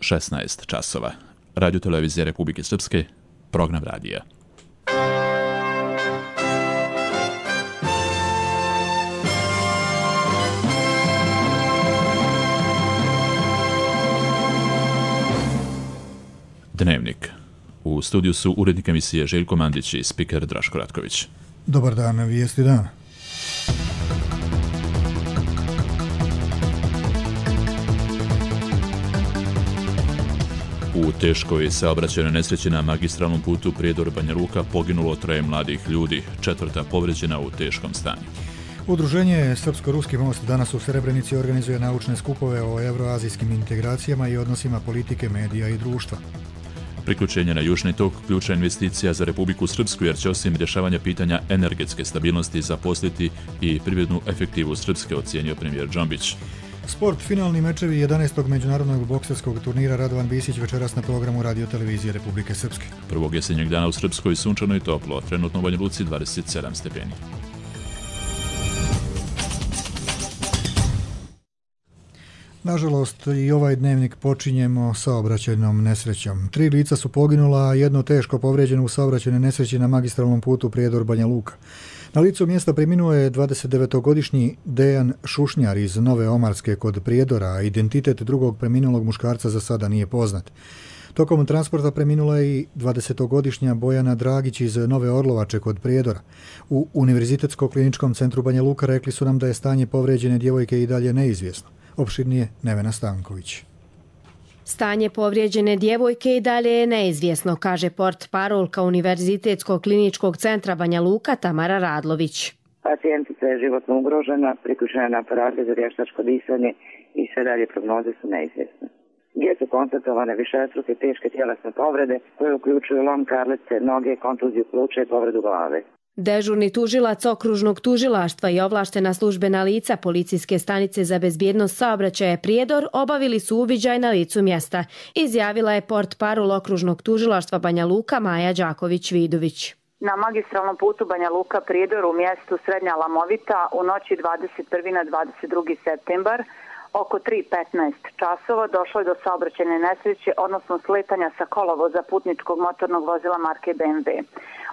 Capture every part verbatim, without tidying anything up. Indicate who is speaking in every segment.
Speaker 1: šesnaest časova. Radio televizija Republike Srpske, program radija. Dnevnik. U studiju su urednik emisije Željko Mandić i spiker Draško Ratković.
Speaker 2: Dobar dan, vijesti dana.
Speaker 1: U teškoj saobraćajnoj nesreći na magistralnom putu Prijedor-Banja Luka poginulo troje mladih ljudi, četvrta povrijeđena u teškom stanju.
Speaker 2: Udruženje Srpsko-Ruski most danas u Srebrenici organizuje naučne skupove o euroazijskim integracijama i odnosima politike, medija i društva.
Speaker 1: Priključenje na Južni tok ključna investicija za Republiku Srpsku jer će osim rješavanja pitanja energetske stabilnosti zaposliti i privrednu efektivu Srpske, ocijenio premijer Džombić.
Speaker 2: Sport, finalni mečevi jedanaestog međunarodnog bokserskog turnira Radovan Bisić večeras na programu Radio televizije Republike Srpske.
Speaker 1: Prvog jesenjeg dana u Srpskoj sunčano i toplo, trenutno u Banja Luci dvadeset sedam stepeni.
Speaker 2: Nažalost, i ovaj dnevnik počinjemo saobraćajnom nesrećom. Tri lica su poginula, a jedno teško povrijeđeno u saobraćajnoj nesreći na magistralnom putu Prijedor-Banja Luka. Na licu mjesta preminuo je dvadesetdevetogodišnji Dejan Šušnjar iz Nove Omarske kod Prijedora, a identitet drugog preminulog muškarca za sada nije poznat. Tokom transporta preminula je i dvadesetogodišnja Bojana Dragić iz Nove Orlovače kod Prijedora. U Univerzitetsko-kliničkom centru Banja Luka rekli su nam da je stanje povrijeđene djevojke i dalje neizvjesno. Opširnije Nevena Stanković.
Speaker 3: Stanje povrijeđene djevojke i dalje je neizvjesno, kaže portparolka Univerzitetskog kliničkog centra Banja Luka Tamara Radlović.
Speaker 4: Pacijentica je životno ugrožena, priključena na aparate za vještačko disanje i sve dalje prognoze su neizvjesne. Gdje su konstatovane višestruke teške tjelesne povrede koje uključuju lom karlice, noge, kontuziju pluća i povredu glave.
Speaker 3: Dežurni tužilac okružnog tužilaštva i ovlaštena službena lica Policijske stanice za bezbjednost saobraćaja Prijedor obavili su uviđaj na licu mjesta, izjavila je portparol okružnog tužilaštva Banja Luka Maja Đaković-Vidović.
Speaker 5: Na magistralnom putu Banja Luka Prijedor u mjestu Srednja Lamovita u noći dvadeset prvi na dvadeset drugi septembar oko tri petnaest časova došlo je do saobraćajne nesreće, odnosno sletanja sa kolovoza putničkog motornog vozila marke B M W.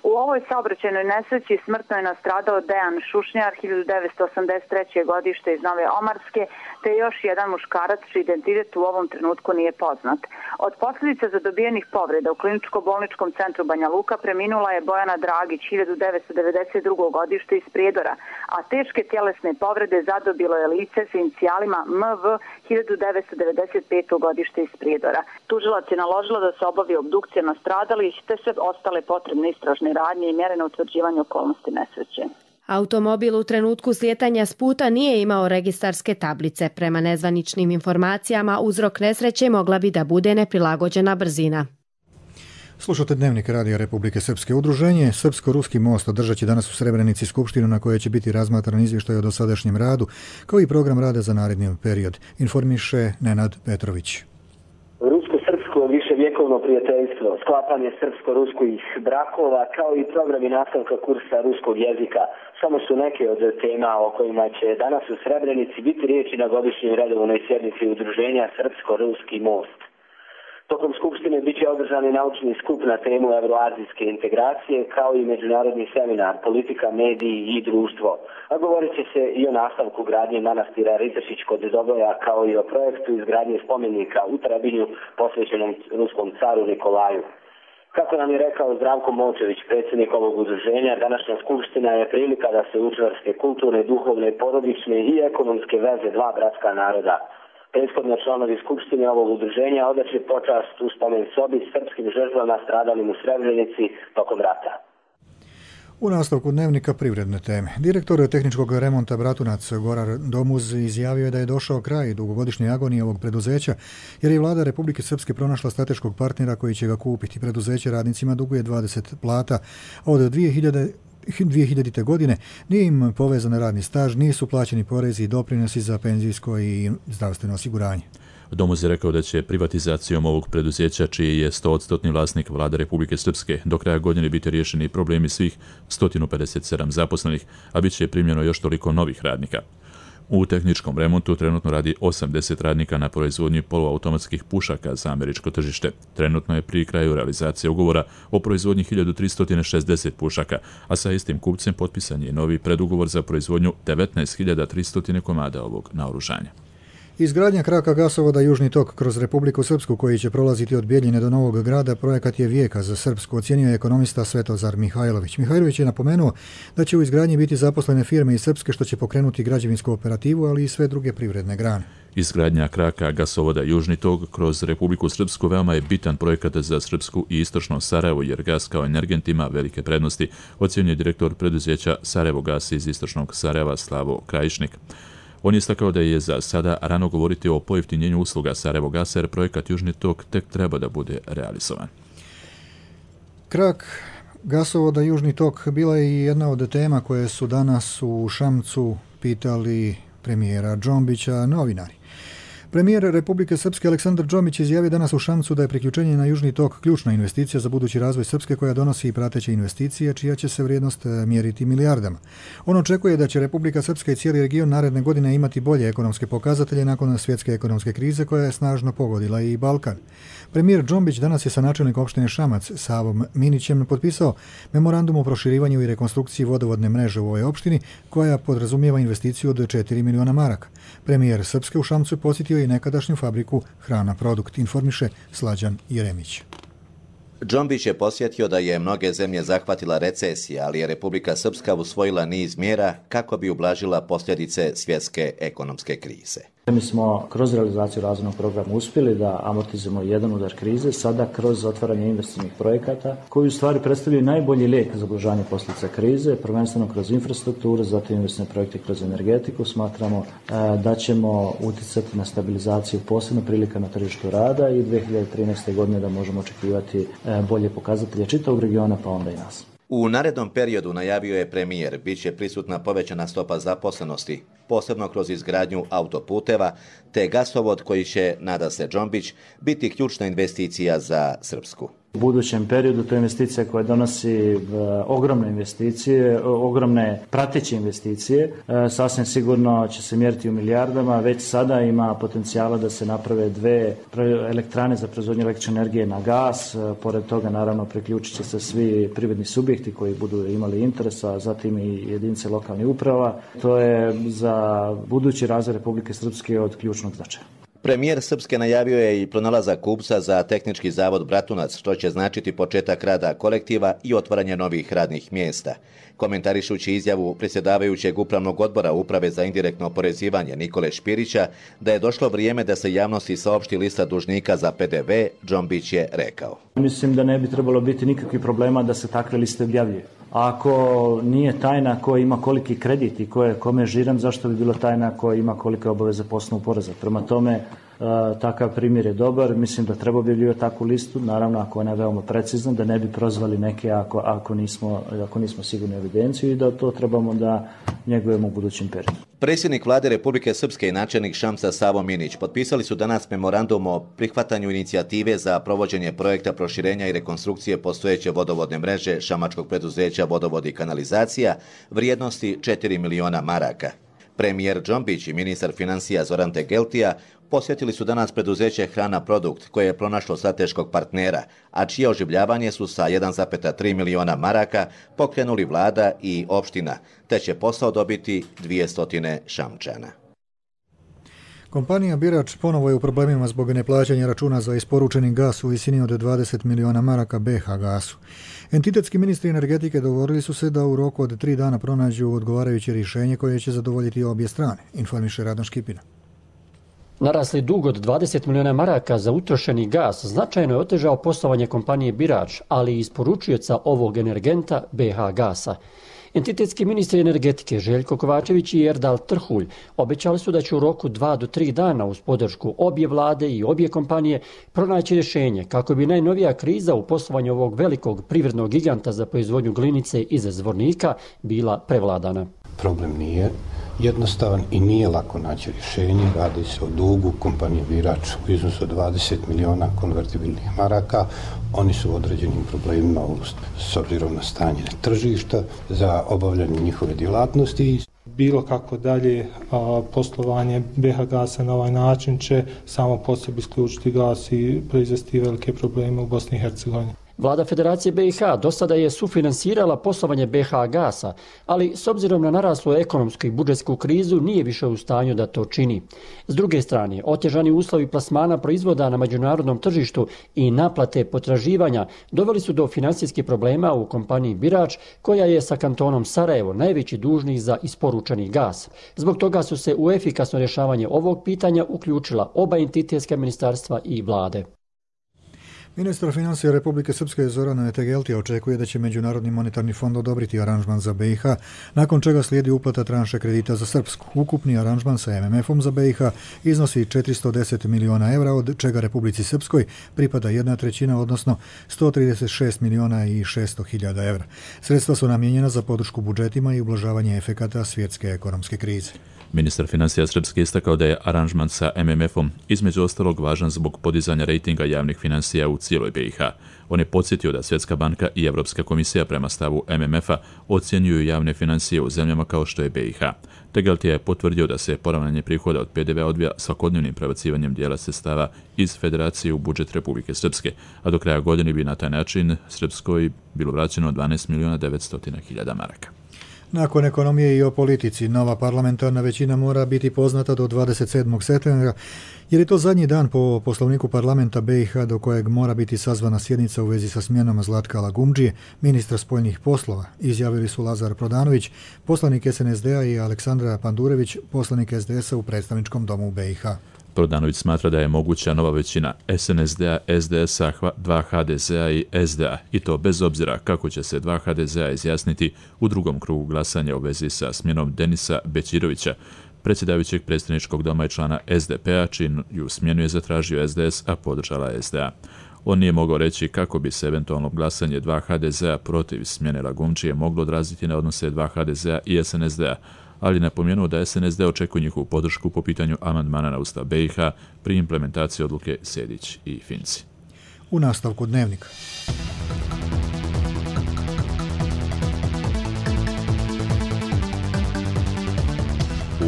Speaker 5: U ovoj saobraćajnoj nesreći smrtno je nastradao Dejan Šušnjar, hiljadu devetsto osamdeset treće godište iz Nove Omarske, te još jedan muškarac čiji identitet u ovom trenutku nije poznat. Od posljedica zadobijenih povreda u kliničko-bolničkom centru Banja Luka preminula je Bojana Dragić, hiljadu devetsto devedeset drugo godište iz Prijedora, a teške tjelesne povrede zadobilo je lice s inicijalima M V, hiljadu devetsto devedeset peto godište iz Prijedora. Tužilac je naložila da se obavi obdukcija nastradalih te sve ostale potrebne istražne radnje i mjere na utvrđivanje okolnosti nesreće.
Speaker 3: Automobil u trenutku slijetanja s puta nije imao registarske tablice. Prema nezvaničnim informacijama, uzrok nesreće mogla bi da bude neprilagođena brzina.
Speaker 2: Slušate dnevnik Radija Republike Srpske. Udruženje Srpsko-Ruski most održat će danas u Srebrenici skupštinu na kojoj će biti razmatran izvještaj o dosadašnjem radu, kao i program rada za naredni period, informiše Nenad Petrović.
Speaker 6: Rusko-srpsko viševjekovno prijateljstvo, sklapanje srpsko-ruskih brakova, kao i programi nastavka kursa ruskog jezika, samo su neke od tema o kojima će danas u Srebrenici biti riječi na godišnjoj redovnoj sjednici Udruženja Srpsko-Ruski most. Tokom skupštine bit će održan i naučni skup na temu euroazijske integracije, kao i međunarodni seminar politika, mediji i društvo. A govorit će se i o nastavku gradnje manastira Ritešić kod Doboja, kao i o projektu izgradnje spomenika u Trebinju posvećenom ruskom caru Nikolaju. Kako nam je rekao Zdravko Molčević, predsjednik ovog udruženja, današnja skupština je prilika da se učvrste kulturne, duhovne, porodične i ekonomske veze dva bratska naroda. Prethodno članovi skupštine ovog udruženja odaće počast u spomen sobi srpskim žrtvama stradalim u Srebrenici tokom rata.
Speaker 2: U nastavku dnevnika privredne teme. Direktor tehničkog remonta Bratunac Goran Domuz izjavio je da je došao kraj dugogodišnje agonije ovog preduzeća, jer je vlada Republike Srpske pronašla strateškog partnera koji će ga kupiti. Preduzeće radnicima duguje dvadeset plata, a od dvije hiljadite godine nije im povezan radni staž, nisu plaćeni porezi i doprinosi za penzijsko i zdravstveno osiguranje.
Speaker 1: Domuz je rekao da će privatizacijom ovog preduzeća, čiji je sto odstotni vlasnik vlada Republike Srpske, do kraja godine biti riješeni problemi svih sto pedeset sedam zaposlenih, a bit će primljeno još toliko novih radnika. U tehničkom remontu trenutno radi osamdeset radnika na proizvodnji poluautomatskih pušaka za američko tržište. Trenutno je pri kraju realizacije ugovora o proizvodnji hiljadu tristo šezdeset pušaka, a sa istim kupcem potpisan je novi predugovor za proizvodnju devetnaest hiljada tristo komada ovog naoružanja.
Speaker 2: Izgradnja kraka gasovoda Južni tok kroz Republiku Srpsku, koji će prolaziti od Bijeljine do Novog Grada, projekat je vijeka za Srpsku, ocjenio je ekonomista Svetozar Mihajlović. Mihajlović je napomenuo da će u izgradnji biti zaposlene firme iz Srpske, što će pokrenuti građevinsku operativu, ali i sve druge privredne grane.
Speaker 1: Izgradnja kraka gasovoda Južni tok kroz Republiku Srpsku veoma je bitan projekat za Srpsku i istočno Sarajevo, jer gas kao energent ima velike prednosti, ocjenio je direktor preduzeća Sarajevo gas iz istočnog Sarajeva Slavo Krajišnik. On je istakao da je za sada rano govoriti o pojeftinjenju usluga Sarajevo gasa, jer projekat Južni tok tek treba da bude realizovan.
Speaker 2: Krak gasovoda Južni tok bila je i jedna od tema koje su danas u Šamcu pitali premijera Džombića novinari. Premijer Republike Srpske Aleksandar Džombić izjavio danas u Šamcu da je priključenje na Južni tok ključna investicija za budući razvoj Srpske, koja donosi i prateće investicije, čija će se vrijednost mjeriti milijardama. On očekuje da će Republika Srpska i cijeli region naredne godine imati bolje ekonomske pokazatelje nakon svjetske ekonomske krize koja je snažno pogodila i Balkan. Premijer Džombić danas je sa načelnikom opštine Šamac Savom Minićem potpisao memorandum o proširivanju i rekonstrukciji vodovodne mreže u ovoj opštini, koja podrazumijeva investiciju od četiri miliona maraka. Premijer Srpske u Šamcu posjetio i nekadašnju fabriku Hrana Produkt, informiše Slađan Jeremić.
Speaker 7: Džombić je posjetio da je mnoge zemlje zahvatila recesija, ali je Republika Srpska usvojila niz mjera kako bi ublažila posljedice svjetske ekonomske krize.
Speaker 8: Mi smo kroz realizaciju razvojnog programa uspjeli da amortizujemo jedan udar krize, sada kroz otvaranje investicijnih projekata koji u stvari predstavljaju najbolji lijek za ublažavanje posljedica krize, prvenstveno kroz infrastrukturu, zatim investicijne projekte kroz energetiku. Smatramo da ćemo utjecati na stabilizaciju posebno prilika na tržištu rada i dvije hiljade trinaeste. godine da možemo očekivati bolje pokazatelje čitavog regiona, pa onda i nas.
Speaker 7: U narednom periodu, najavio je premijer, bit će prisutna povećana stopa zaposlenosti, posebno kroz izgradnju autoputeva, te gasovod koji će, nada se Džombić, biti ključna investicija za Srpsku.
Speaker 8: U budućem periodu to je investicija koja donosi e, ogromne investicije, ogromne prateće investicije. E, sasvim sigurno će se mjeriti u milijardama. Već sada ima potencijala da se naprave dve elektrane za proizvodnju električne energije na gas. E, pored toga, naravno, priključit će se svi privredni subjekti koji budu imali interesa, zatim i jedinice lokalnih uprava. To je za budući razvoj Republike Srpske od ključnog značaja.
Speaker 7: Premijer Srpske najavio je i pronalazak kupca za tehnički zavod Bratunac, što će značiti početak rada kolektiva i otvaranje novih radnih mjesta. Komentarišući izjavu predsjedavajućeg upravnog odbora Uprave za indirektno oporezivanje Nikole Špirića da je došlo vrijeme da se javnosti saopšti lista dužnika za P D V, Džombić je rekao:
Speaker 8: Mislim da ne bi trebalo biti nikakvih problema da se takve liste objavljuje. Ako nije tajna ko ima koliki kredit i ko je kome žiran, zašto bi bilo tajna ko ima kolike obaveze po osnovu poreza? Prema tome, takav primjer je dobar. Mislim da treba objavljivati takvu listu, naravno ako ona je veoma precizna, da ne bi prozvali neke ako, ako, nismo, ako nismo sigurni evidenciju i da to trebamo da njegujemo u budućem periodu.
Speaker 7: Predsjednik Vlade Republike Srpske i načelnik Šamca Savo Minić potpisali su danas memorandum o prihvatanju inicijative za provođenje projekta proširenja i rekonstrukcije postojeće vodovodne mreže šamačkog preduzeća Vodovod i kanalizacija vrijednosti četiri miliona maraka. Premijer Džombić i ministar financija Zoran Tegeltija posjetili su danas preduzeće Hrana Produkt, koje je pronašlo strateškog partnera, a čije oživljavanje su sa jedan zarez tri miliona maraka pokrenuli vlada i opština, te će posao dobiti dvjesto Šamčana.
Speaker 2: Kompanija Birač ponovo je u problemima zbog neplaćanja računa za isporučeni gas u visini od dvadeset miliona maraka B H gasu. Entitetski ministri energetike dogovorili su se da u roku od tri dana pronađu odgovarajuće rješenje koje će zadovoljiti obje strane, informiše Radan Škipina.
Speaker 9: Narasli dug od dvadeset miliona maraka za utrošeni gas značajno je otežao poslovanje kompanije Birač, ali i isporučioca ovog energenta B H gasa. Entitetski ministri energetike Željko Kovačević i Erdal Trhulj obećali su da će u roku dva do tri dana uz podršku obje vlade i obje kompanije pronaći rješenje kako bi najnovija kriza u poslovanju ovog velikog privrednog giganta za proizvodnju glinice iz Zvornika bila prevladana.
Speaker 10: Problem nije jednostavan i nije lako naći rješenje. Radi se o dugu kompanije Birač u iznosu od dvadeset miliona konvertibilnih maraka. Oni su u određenim problemima s obzirom na stanje tržišta za obavljanje njihove djelatnosti.
Speaker 11: Bilo kako dalje a, poslovanje B H Gasa na ovaj način će samo po sebi isključiti gas i proizvesti velike probleme u Bosni i Hercegovini.
Speaker 9: Vlada Federacije B i H do sada je sufinansirala poslovanje B H Gasa, ali s obzirom na naraslu ekonomsku i budžetsku krizu nije više u stanju da to čini. S druge strane, otežani uslovi plasmana proizvoda na međunarodnom tržištu i naplate potraživanja doveli su do financijskih problema u kompaniji Birač, koja je sa kantonom Sarajevo najveći dužnik za isporučeni gas. Zbog toga su se u efikasno rješavanje ovog pitanja uključila oba entitetska ministarstva i vlade.
Speaker 2: Ministar financija Republike Srpske Zorana Tegeltija očekuje da će Međunarodni monetarni fond odobriti aranžman za B i H, nakon čega slijedi uplata tranše kredita za Srpsku. Ukupni aranžman sa M M F-om za B i H iznosi četiristo deset miliona evra, od čega Republici Srpskoj pripada jedna trećina, odnosno sto trideset šest miliona i šesto hiljada evra. Sredstva su namijenjena za podršku budžetima i ublažavanje efekata svjetske ekonomske krize.
Speaker 1: Ministar financija Srpske istakao da je aranžman sa M M F-om između ostalog važan zbog podizanja rejtinga javnih financija u cijeloj B i H. On je podsjetio da Svjetska banka i Europska komisija prema stavu M M F-a ocjenjuju javne financije u zemljama kao što je B i H. Tegeltija je potvrdio da se poravnanje prihoda od P D V-a odvija svakodnevnim prebacivanjem dijela sredstava iz Federacije u budžet Republike Srpske, a do kraja godine bi na taj način Srpskoj bilo vraćeno dvanaest miliona devetsto hiljada maraka.
Speaker 2: Nakon ekonomije i o politici, nova parlamentarna većina mora biti poznata do dvadeset sedmog septembra, jer je to zadnji dan po poslovniku parlamenta B i H do kojeg mora biti sazvana sjednica u vezi sa smjenom Zlatka Lagumdžije, ministra spoljnih poslova, izjavili su Lazar Prodanović, poslanik S N S D-a, i Aleksandra Pandurević, poslanik S D S-a u predstavničkom domu B i H.
Speaker 1: Prodanović smatra da je moguća nova većina S N S D-a, S D S-a, dva H D Z-a i S D A, i to bez obzira kako će se dva H D Z-a izjasniti u drugom krugu glasanja u vezi sa smjenom Denisa Bećirovića, predsjedavajućeg predstavničkog doma i člana S D P-a, čiju smjenu je zatražio S D S, a podržala S D A. On nije mogao reći kako bi se eventualno glasanje dva H D Z-a protiv smjene Lagumdžije moglo odraziti na odnose dva H D Z-a i S N S D-a, ali napomenuo da S N S D očekuje njihovu podršku po pitanju amandmana na Ustav B i H pri implementaciji odluke Sejdić i Finci.
Speaker 2: U nastavku dnevnika.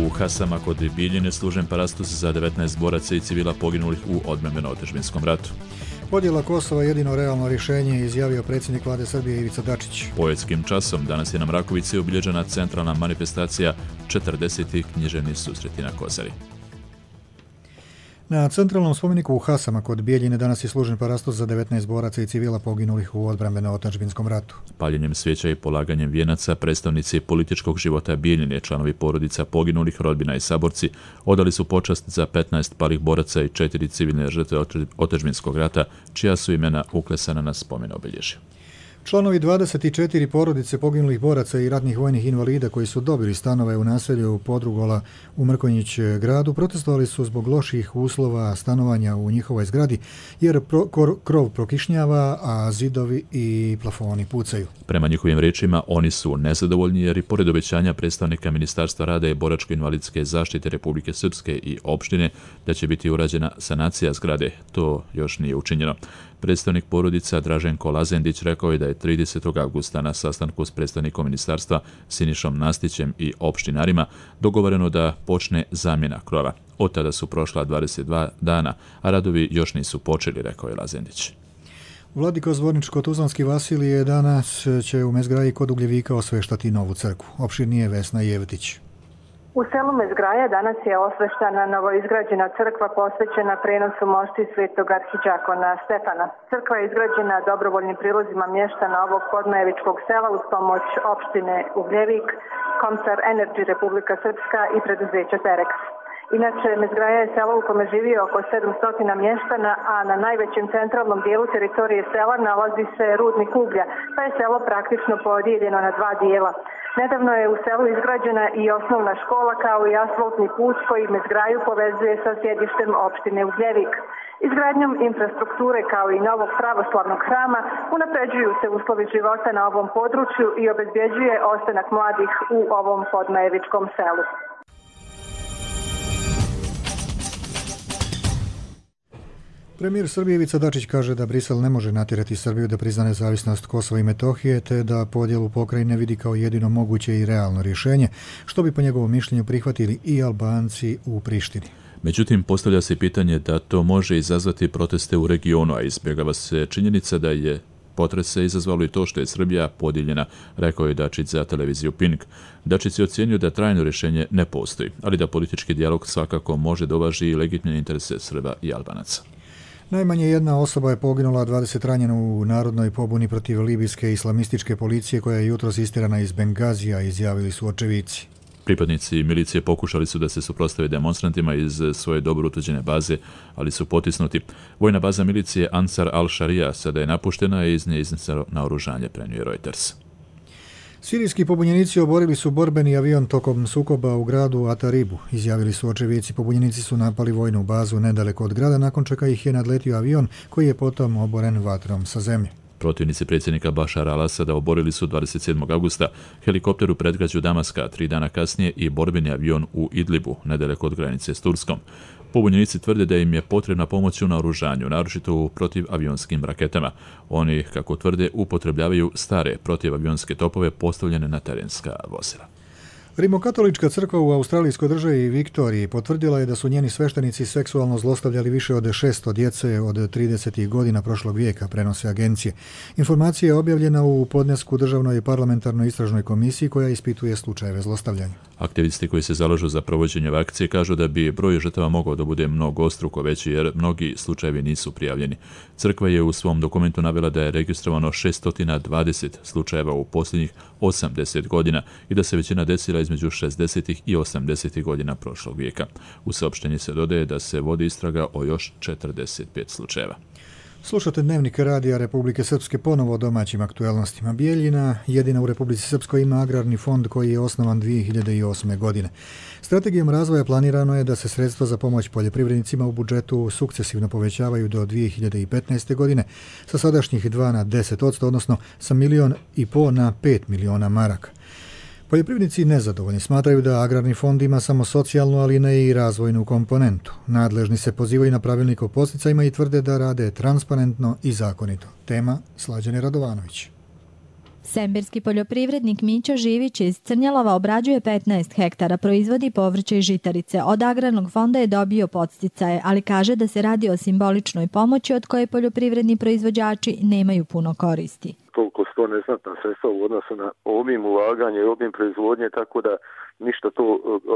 Speaker 1: U Hasama kod Bijeljine služen parastos za devetnaest boraca i civila poginulih u odbrambeno-otadžbinskom ratu.
Speaker 2: Podjela Kosova je jedino realno rješenje, izjavio predsjednik vlade Srbije Ivica Dačić.
Speaker 1: Poetskim časom danas je na Mrakovici obilježena centralna manifestacija četrdeseti književni susreti na Kozari.
Speaker 2: Na centralnom spomeniku u Hasama kod Bijeljine danas je služen parastos za devetnaest boraca i civila poginulih u odbrambeno-otadžbinskom ratu.
Speaker 1: Paljenjem svijeća i polaganjem vijenaca predstavnici političkog života Bijeljine, članovi porodica poginulih, rodbina i saborci odali su počast za petnaest palih boraca i četiri civilne žrtve otadžbinskog rata, čija su imena uklesana na spomen obilježja.
Speaker 2: Članovi dvadeset četiri porodice poginulih boraca i ratnih vojnih invalida koji su dobili stanove u naselju Podrugola u Mrkonjić gradu protestovali su zbog loših uslova stanovanja u njihovoj zgradi, jer pro, kor, krov prokišnjava, a zidovi i plafoni pucaju.
Speaker 1: Prema njihovim riječima, oni su nezadovoljni jer i pored obećanja predstavnika Ministarstva rada i boračko-invalidske zaštite Republike Srpske i opštine da će biti urađena sanacija zgrade, to još nije učinjeno. Predstavnik porodica Draženko Lazendić rekao je da je tridesetog avgusta na sastanku s predstavnikom ministarstva Sinišom Nastićem i opštinarima dogovoreno da počne zamjena krova. Od tada su prošla dvadeset dva dana, a radovi još nisu počeli, rekao je Lazendić.
Speaker 2: Vladiko Zvorničko-Tuzlanski Vasilije danas će u Mezgraji kod Ugljevika osveštati novu crkvu. Opširnije Vesna Jevtić.
Speaker 12: U selu Mezgraja danas je osveštana novoizgrađena crkva posvećena prenosu mošti svetog arhidžakona Stefana. Crkva je izgrađena dobrovoljnim prilozima mještana ovog podmajevičkog sela uz pomoć opštine Ugljevik, Komsar Energy Republika Srpska i preduzeća Terex. Inače, Mezgraja je selo u kome živi oko sedamsto mještana, a na najvećem centralnom dijelu teritorije sela nalazi se rudnik uglja, pa je selo praktično podijeljeno na dva dijela. Nedavno je u selu izgrađena i osnovna škola kao i asfaltni put koji Mezgraju povezuje sa sjedištem opštine Ugljevik. Izgradnjom infrastrukture kao i novog pravoslavnog hrama unapređuju se uslovi života na ovom području i obezbjeđuje ostanak mladih u ovom podmajevičkom selu.
Speaker 2: Premijer Srbije Ivica Dačić kaže da Brisel ne može natjerati Srbiju da prizna nezavisnost Kosova i Metohije, te da podjelu pokrajine vidi kao jedino moguće i realno rješenje, što bi po njegovom mišljenju prihvatili i Albanci u Prištini.
Speaker 1: Međutim, postavlja se pitanje da to može izazvati proteste u regionu, a izbjegava se činjenica da je potrese izazvalo i to što je Srbija podijeljena, rekao je Dačić za televiziju Pink. Dačić je ocijenio da trajno rješenje ne postoji, ali da politički dijalog svakako može da uvaži i legitimne interese Srba i Albanaca.
Speaker 2: Najmanje jedna osoba je poginula, a dvadeset ranjeno u narodnoj pobuni protiv libijske islamističke policije koja je jutros istirana iz Bengazija, izjavili su očevici.
Speaker 1: Pripadnici milicije pokušali su da se suprotstave demonstrantima iz svoje dobro utvrđene baze, ali su potisnuti. Vojna baza milicije Ansar al-Sharia sada je napuštena i iz nje izneseno naoružanje, prenio Reuters.
Speaker 2: Sirijski pobunjenici oborili su borbeni avion tokom sukoba u gradu Ataribu, izjavili su očevici. Pobunjenici su napali vojnu bazu nedaleko od grada, nakon čega ih je nadletio avion koji je potom oboren vatrom sa zemlje.
Speaker 1: Protivnici predsjednika Bašara al-Asada oborili su dvadeset sedmog augusta helikopter u predgrađu Damaska, tri dana kasnije i borbeni avion u Idlibu, nedaleko od granice s Turskom. Pobunjenici tvrde da im je potrebna pomoć u naoružanju, naročito u protivavionskim raketama. Oni, kako tvrde, upotrebljavaju stare protivavionske topove postavljene na terenska vozila.
Speaker 2: Rimokatolička crkva u australijskoj državi Viktoriji potvrdila je da su njeni sveštenici seksualno zlostavljali više od šesto djece od tridesetih godina prošlog vijeka, prenose agencije. Informacija je objavljena u podnesku Državnoj parlamentarnoj istražnoj komisiji koja ispituje slučajeve zlostavljanja.
Speaker 1: Aktivisti koji se zalažu za provođenje akcije kažu da bi broj žrtava mogao da bude mnogostruko veći jer mnogi slučajevi nisu prijavljeni. Crkva je u svom dokumentu navela da je registrovano šesto dvadeset slučajeva u posljednjih osamdeset godina i da se većina desila između šezdesetih i osamdesetih godina prošlog vijeka. U saopštenju se dodaje da se vodi istraga o još četrdeset pet slučajeva.
Speaker 2: Slušate Dnevnik radija Republike Srpske, ponovo o domaćim aktuelnostima. Bijeljina, jedina u Republici Srpskoj, ima agrarni fond koji je osnovan dvije hiljade osme. godine. Strategijom razvoja planirano je da se sredstva za pomoć poljoprivrednicima u budžetu sukcesivno povećavaju do dvije hiljade petnaeste. godine sa sadašnjih dva na deset posto, odnosno sa milion i po na pet miliona maraka. Poljoprivrednici nezadovoljni smatraju da agrarni fond ima samo socijalnu, ali ne i razvojnu komponentu. Nadležni se pozivaju na pravilnik o podsticajima i tvrde da rade transparentno i zakonito. Tema Slađane Radovanović.
Speaker 13: Semberski poljoprivrednik Mićo Živić iz Crnjalova obrađuje petnaest hektara, proizvodi povrće i žitarice. Od agrarnog fonda je dobio podsticaje, ali kaže da se radi o simboličnoj pomoći od koje poljoprivredni proizvođači nemaju puno koristi.
Speaker 14: Toliko sto neznatna sredstva u odnosu na obim ulaganja i obim proizvodnje, tako da ništa to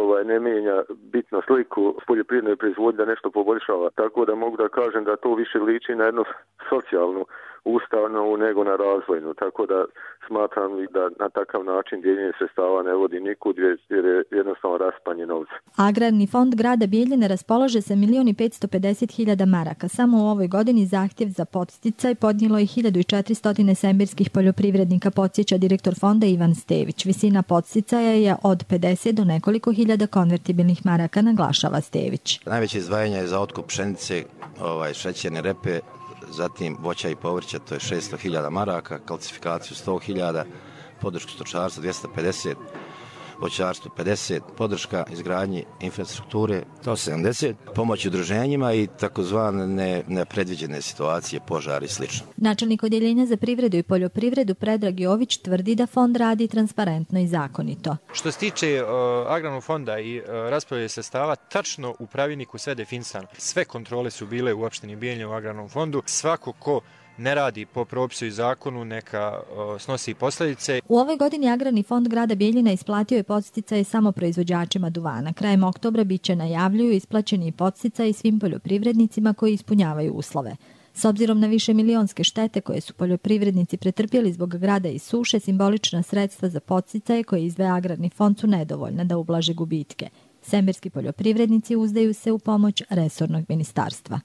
Speaker 14: ovaj, ne mijenja bitno sliku poljoprivredne proizvodnje, da nešto poboljšava. Tako da mogu da kažem da to više liči na jednu socijalnu ustanovu nego na razvojnu. Tako da smatram da na takav način dijeljenje sredstava ne vodi nikud jer je jednostavno raspanje novca.
Speaker 13: Agrarni fond grada Bijeljine raspolaže sa milion i petsto pedeset hiljada maraka. Samo u ovoj godini zahtjev za podsticaj podnijelo je hiljadu četiristo semberskih poljoprivrednika, podsjeća direktor fonda Ivan Stević. Visina podsticaja je od pedeset do nekoliko hiljada konvertibilnih maraka, naglašava Stević.
Speaker 15: Najveće izdvajanje je za otkup pšenice, ovaj, šećerne repe, zatim voća i povrća, to je šesto hiljada maraka, kalcifikaciju sto hiljada, podršku stočarstva dvjesto pedeset, voćarstvu pedeset, podrška izgradnji infrastrukture sto sedamdeset, pomoć udruženjima i takozvane nepredviđene situacije, požari i sl.
Speaker 13: Načelnik odjeljenja za privredu i poljoprivredu Predrag Jović tvrdi da fond radi transparentno i zakonito.
Speaker 16: Što se tiče uh, agrarnog fonda i uh, raspodjele sredstava, tačno u pravilniku sve definisano. Sve kontrole su bile u opštini Bijeljina u agrarnom fondu. Svako ko ne radi po propisu i zakonu, neka o, snosi posljedice.
Speaker 13: U ovoj godini Agrarni fond grada Bijeljina isplatio je podsticaje samo proizvođačima duvana. Krajem oktobra biće, najavljuju, isplaćeni podsticaji svim poljoprivrednicima koji ispunjavaju uslove. S obzirom na više milionske štete koje su poljoprivrednici pretrpjeli zbog grada i suše, simbolična sredstva za podsticaje koje izdvaja Agrarni fond su nedovoljna da ublaže gubitke. Semberski poljoprivrednici uzdaju se u pomoć resornog ministarstva.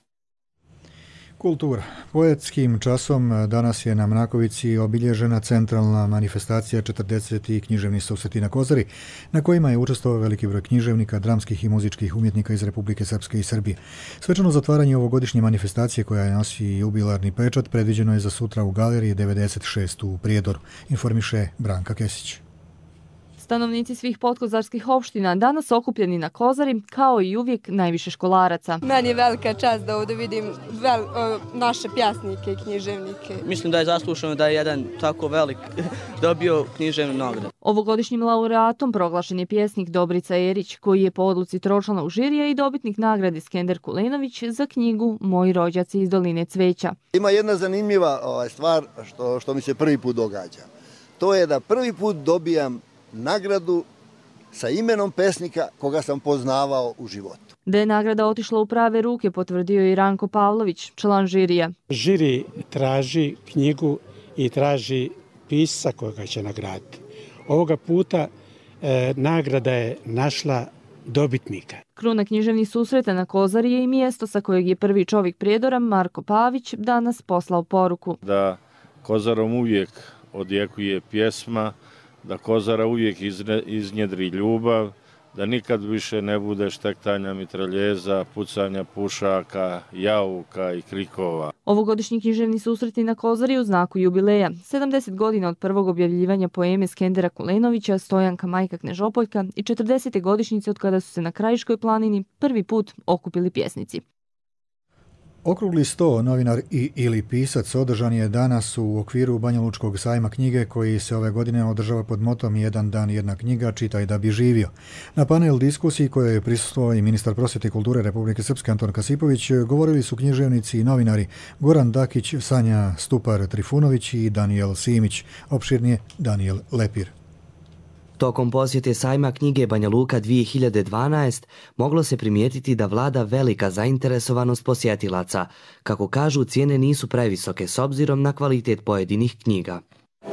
Speaker 2: Kultura. Poetskim časom danas je na Mrakovici obilježena centralna manifestacija četrdesetih književnih susreti na Kozari, na kojima je učestvovao veliki broj književnika, dramskih i muzičkih umjetnika iz Republike Srpske i Srbije. Svečano zatvaranje ovogodišnje manifestacije, koja nosi jubilarni pečat, predviđeno je za sutra u galeriji devedeset šest u Prijedoru, informiše Branka Kesić.
Speaker 17: Stanovnici svih podkozarskih opština danas okupljeni na Kozari, kao i uvijek najviše školaraca.
Speaker 18: Meni je velika čast da ovdje vidim vel, o, naše pjasnike i književnike.
Speaker 19: Mislim da je zaslušano da je jedan tako velik dobio književnu nagradu.
Speaker 17: Ovogodišnjim laureatom proglašen je pjesnik Dobrica Erić, koji je po odluci tročlanog žirija i dobitnik nagrade Skender Kulenović za knjigu Moji rođaci iz Doline cveća.
Speaker 20: Ima jedna zanimljiva ovaj, stvar što, što mi se prvi put događa. To je da prvi put dobijam nagradu sa imenom pesnika koga sam poznavao u životu.
Speaker 17: Da je nagrada otišla u prave ruke, potvrdio je i Ranko Pavlović, član žirija.
Speaker 21: Žiri traži knjigu i traži pisca koga će nagraditi. Ovoga puta e, nagrada je našla dobitnika.
Speaker 17: Kruna književnih susreta na Kozari je i mjesto sa kojeg je prvi čovjek Prijedora, Marko Pavić, danas poslao poruku.
Speaker 22: Da Kozarom uvijek odjekuje pjesma, da Kozara uvijek iznjedri ljubav, da nikad više ne bude štektanja mitraljeza, pucanja pušaka, jauka i krikova.
Speaker 17: Ovogodišnji književni susreti na Kozari u znaku jubileja. sedamdeset godina od prvog objavljivanja poeme Skendera Kulenovića, Stojanka majka Knežopoljka i četrdesete godišnjice od kada su se na Krajiškoj planini prvi put okupili pjesnici.
Speaker 2: Okrugli sto, novinar i ili pisac, održan je danas u okviru Banjalučkog sajma knjige koji se ove godine održava pod motom Jedan dan, jedna knjiga, čitaj da bi živio. Na panel diskusiji koje je prisustvovao i ministar prosvjete i kulture Republike Srpske Anton Kasipović govorili su književnici i novinari Goran Dakić, Sanja Stupar-Trifunović i Danijel Simić, opširnije Danijel Lepir.
Speaker 23: Tokom posjete sajma knjige Banja Luka dvije hiljade dvanaest moglo se primijetiti da vlada velika zainteresovanost posjetilaca. Kako kažu, cijene nisu previsoke s obzirom na kvalitet pojedinih knjiga.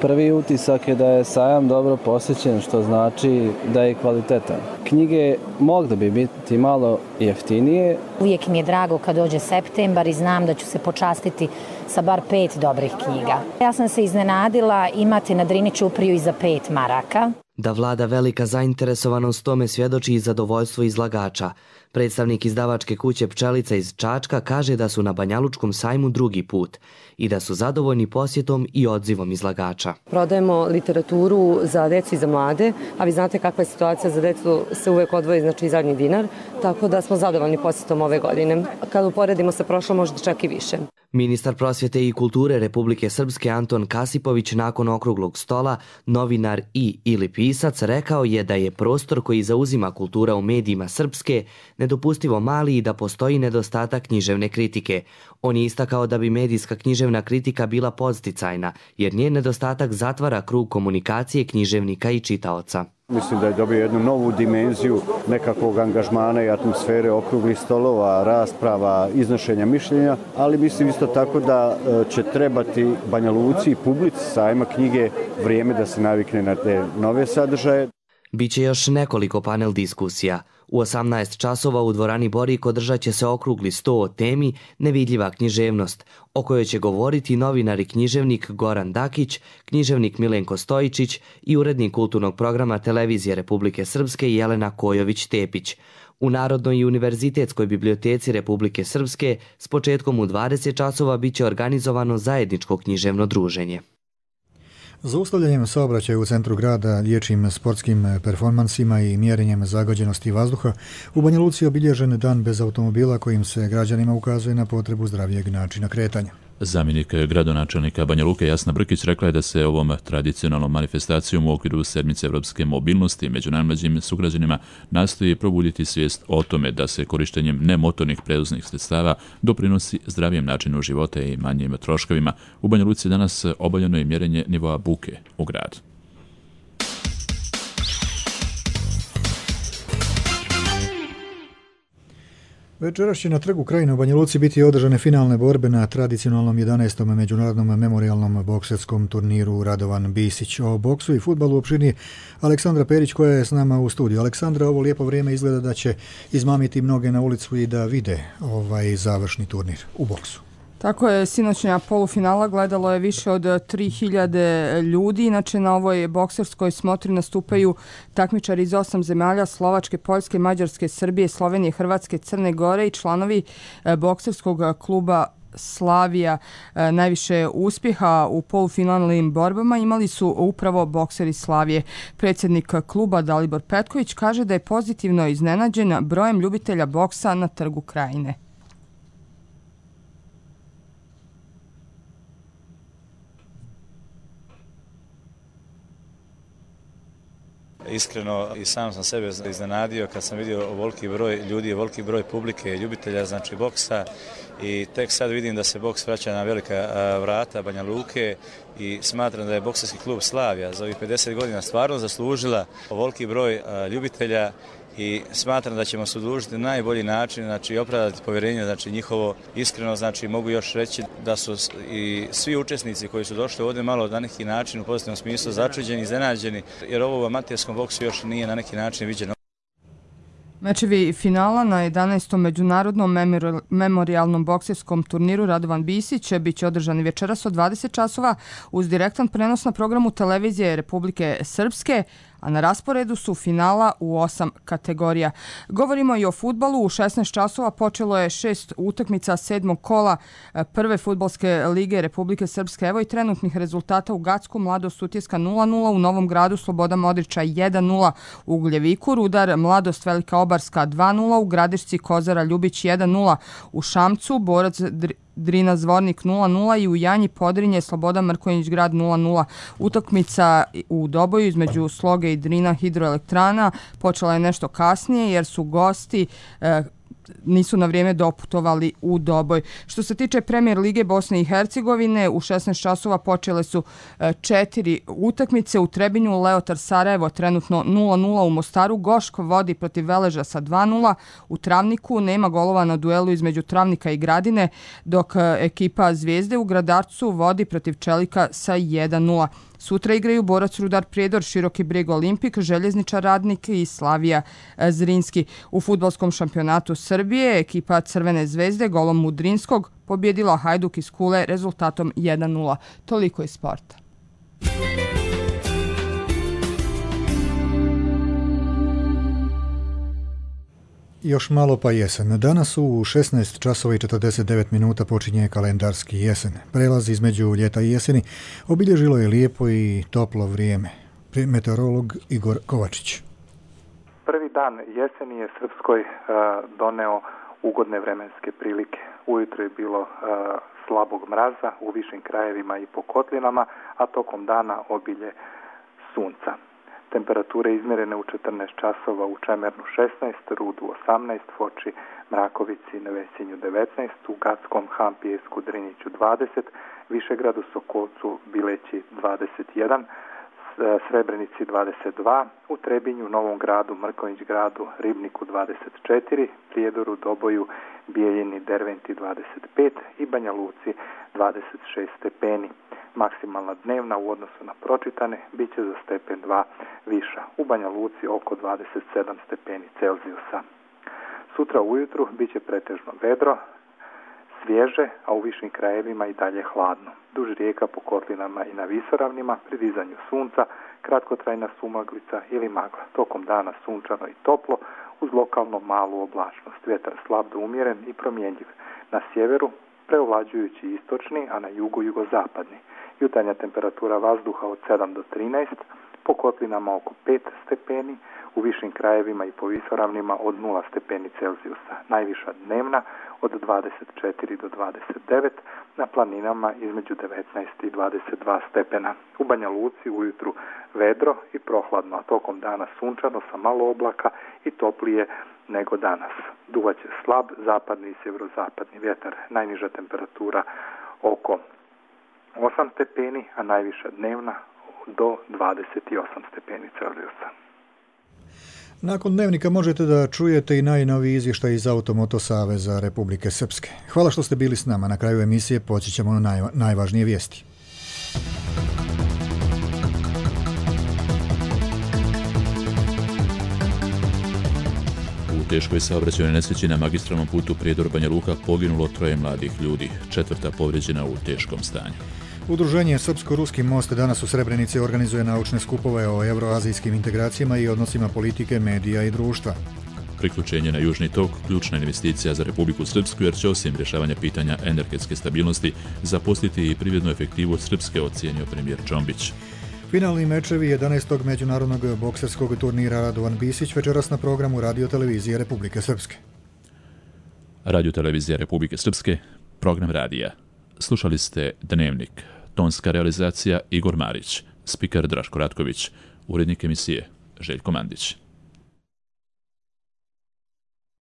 Speaker 24: Prvi utisak je da je sajam dobro posjećen, što znači da je kvalitetan. Knjige mogle bi biti malo jeftinije.
Speaker 25: Uvijek mi je drago kad dođe septembar i znam da ću se počastiti sa bar pet dobrih knjiga. Ja sam se iznenadila imati na Drini ćupriju i za pet maraka.
Speaker 23: Da vlada velika zainteresovanost tome svjedoči i zadovoljstvo izlagača. Predstavnik izdavačke kuće Pčelica iz Čačka kaže da su na Banjalučkom sajmu drugi put i da su zadovoljni posjetom i odzivom izlagača.
Speaker 26: Prodajemo literaturu za decu i za mlade, a vi znate kakva je situacija, za decu se uvek odvoji, znači zadnji dinar, tako da smo zadovoljni posjetom ove godine. Kad uporedimo sa prošlom, možda čak i više.
Speaker 23: Ministar prosvjete i kulture Republike Srpske Anton Kasipović nakon okruglog stola, novinar i ili pisac, rekao je da je prostor koji zauzima kultura u medijima Srpske nedopustivo mali i da postoji nedostatak književne kritike. On je istakao da bi medijska književna kritika bila podsticajna, jer njen nedostatak zatvara krug komunikacije književnika i čitaoca.
Speaker 27: Mislim da je dobio jednu novu dimenziju nekakvog angažmana i atmosfere okruglih stolova, rasprava, iznošenja mišljenja, ali mislim isto tako da će trebati Banja Luci i publici sajma knjige vrijeme da se navikne na te nove sadržaje.
Speaker 23: Biće još nekoliko panel diskusija. U osamnaest časova u dvorani Borik održat će se okrugli sto o temi Nevidljiva književnost, o kojoj će govoriti novinar i književnik Goran Dakić, književnik Milenko Stojičić i urednik kulturnog programa Televizije Republike Srpske Jelena Kojović-Tepić. U Narodnoj i univerzitetskoj biblioteci Republike Srpske s početkom u dvadeset časova biće organizovano zajedničko književno druženje.
Speaker 2: Zaustavljanjem saobraćaja u centru grada, liječim sportskim performansima i mjerenjem zagađenosti vazduha, u Banja Luci je obilježen dan bez automobila kojim se građanima ukazuje na potrebu zdravijeg načina kretanja.
Speaker 1: Zamjenik gradonačelnika Banja Luke Jasna Brkić rekla je da se ovom tradicionalnom manifestacijom u okviru sedmice evropske mobilnosti među najmlađim sugrađanima nastoji probuditi svijest o tome da se korištenjem nemotornih prevoznih sredstava doprinosi zdravijem načinu života i manjim troškovima. U Banja Luci danas obavljeno je mjerenje nivoa buke u gradu.
Speaker 2: Večeras će na trgu Krajine u Banja Luci biti održane finalne borbe na tradicionalnom jedanaestom međunarodnom memorijalnom bokserskom turniru Radovan Bisić. O boksu i fudbalu opširnije Aleksandra Perić koja je s nama u studiju. Aleksandra, ovo lijepo vrijeme izgleda da će izmamiti mnoge na ulicu i da vide ovaj završni turnir u boksu.
Speaker 28: Tako je, sinoćnja polufinala gledalo je više od tri hiljade ljudi. Inače, na ovoj bokserskoj smotri nastupaju takmičari iz osam zemalja: Slovačke, Poljske, Mađarske, Srbije, Slovenije, Hrvatske, Crne Gore i članovi bokserskog kluba Slavija. Najviše uspjeha u polufinalnim borbama imali su upravo bokseri Slavije. Predsjednik kluba Dalibor Petković kaže da je pozitivno iznenađen brojem ljubitelja boksa na Trgu Krajine.
Speaker 3: Iskreno i sam sam sebe iznenadio kad sam vidio ovoliki broj ljudi, ovoliki broj publike, ljubitelja znači boksa i tek sad vidim da se boks vraća na velika vrata Banja Luke i smatram da je bokserski klub Slavija za ovih pedeset godina stvarno zaslužila ovoliki broj ljubitelja i smatram da ćemo se udružiti na najbolji način, znači opravdati povjerenje, znači njihovo iskreno, znači mogu još reći da su i svi učesnici koji su došli ovdje malo na neki način u pozitivnom smislu začuđeni, iznenađeni, jer ovo u amaterskom boksu još nije na neki način viđeno.
Speaker 28: Mečevi finala na jedanaestom međunarodnom memorialnom bokserskom turniru Radovan Bisić bit će održani večeras od dvadeset časova uz direktan prenos na programu televizije Republike Srpske, a na rasporedu su finala u osam kategorija. Govorimo i o fudbalu. U šesnaest časova počelo je šest utakmica sedmog kola prve fudbalske lige Republike Srpske. Evo i trenutnih rezultata u Gacku. Mladost Sutjeska nula nula, u Novom Gradu Sloboda Modriča jedan nula, u Ugljeviku Rudar Mladost Velika Obarska dva nula, u Gradišci Kozara Ljubić jedan nula, u Šamcu Borac Drina Zvornik nula nula i u Janji Podrinje Sloboda Mrkonjić Grad nula nula. Utakmica u Doboju između Sloge i Drina hidroelektrana počela je nešto kasnije jer su gosti e, nisu na vrijeme doputovali u Doboj. Što se tiče Premijer Lige Bosne i Hercegovine, u šesnaest časova počele su četiri utakmice. U Trebinju Leotar Sarajevo trenutno nula nula, u Mostaru Goško vodi protiv Veleža sa dva nula, u Travniku nema golova na duelu između Travnika i Gradine, dok ekipa Zvijezde u Gradarcu vodi protiv Čelika sa jedan nula. Sutra igraju Borac Rudar Prijedor, Široki Brijeg Olimpik, Željezničar Radnik i Slavija Zrinski. U fudbalskom šampionatu Srbije ekipa Crvene zvezde golom Mudrinskog pobjedila Hajduk iz Kule rezultatom jedan nula. Toliko iz sporta.
Speaker 2: Još malo pa jesen. Danas u šesnaest časova i četrdeset devet minuta počinje kalendarski jesen. Prelaz između ljeta i jeseni obilježilo je lijepo i toplo vrijeme. Meteorolog Igor Kovačić.
Speaker 4: Prvi dan jeseni je Srpskoj uh, doneo ugodne vremenske prilike. Ujutro je bilo uh, slabog mraza u višim krajevima i po kotlinama, a tokom dana obilje sunca. Temperature izmjerene u četrnaest časova u Čemernu šesnaest, Rudu osamnaest, Foči, Mrakovici i Nevesinju devetnaest, u Gackom, Hampijesku, Driniću dvadeset, Višegradu, Sokolcu, Bileći dvadeset jedan, Srebrenici dvadeset dva, u Trebinju, Novom Gradu, Mrkonjić Gradu, Ribniku dvadeset četiri, Prijedoru, Doboju, Bijeljini, Derventi dvadeset pet i Banja Luci dvadeset šest stepeni. Maksimalna dnevna u odnosu na pročitane bit će za stepen dva viša. U Banja Luci oko dvadeset sedam stepeni Celzijusa. Sutra ujutru bit će pretežno vedro, svježe, a u višim krajevima i dalje hladno. Duž rijeka po kotlinama i na visoravnima, pri dizanju sunca, kratkotrajna sumaglica ili magla. Tokom dana sunčano i toplo, uz lokalno malu oblačnost. Vjetar slab do umjeren i promjenjiv. Na sjeveru preovlađujući istočni, a na jugu jugozapadni. Jutarnja temperatura vazduha od sedam do trinaest, po kotlinama oko pet stepeni, u višim krajevima i po visoravnima od nula stepeni Celzijusa. Najviša dnevna od dvadeset četiri do dvadeset devet, na planinama između devetnaest i dvadeset dva stepena. U Banja Luci ujutru vedro i prohladno, a tokom dana sunčano sa malo oblaka i toplije nego danas. Duvaće slab zapadni i sjeverozapadni vjetar. Najniža temperatura oko osam stepeni, a najviša dnevna do dvadeset osam stepeni Celzijusa.
Speaker 2: Nakon dnevnika možete da čujete i najnoviji izvještaj iz Automoto Saveza Republike Srpske. Hvala što ste bili s nama. Na kraju emisije poći ćemo na naj, najvažnije vijesti.
Speaker 1: U teškoj saobraćajnoj nesreći na magistralnom putu Prijedor Banja Luka poginulo troje mladih ljudi, četvrta povrijeđena u teškom stanju.
Speaker 2: Udruženje Srpsko-Ruski most danas u Srebrenici organizuje naučne skupove o euroazijskim integracijama i odnosima politike, medija i društva.
Speaker 1: Priključenje na Južni tok ključna investicija za Republiku Srpsku jer će osim rješavanja pitanja energetske stabilnosti zaposliti i privrednu efektivu Srpske, ocijenio premijer Čombić.
Speaker 2: Finalni mečevi jedanaestog međunarodnog bokserskog turnira Radovan Bisić večeras na programu Radio-televizije Republike Srpske.
Speaker 1: Radio-televizija Republike Srpske, program radija. Slušali ste Dnevnik, tonska realizacija Igor Marić, spiker Draško Ratković, urednik emisije Željko Mandić.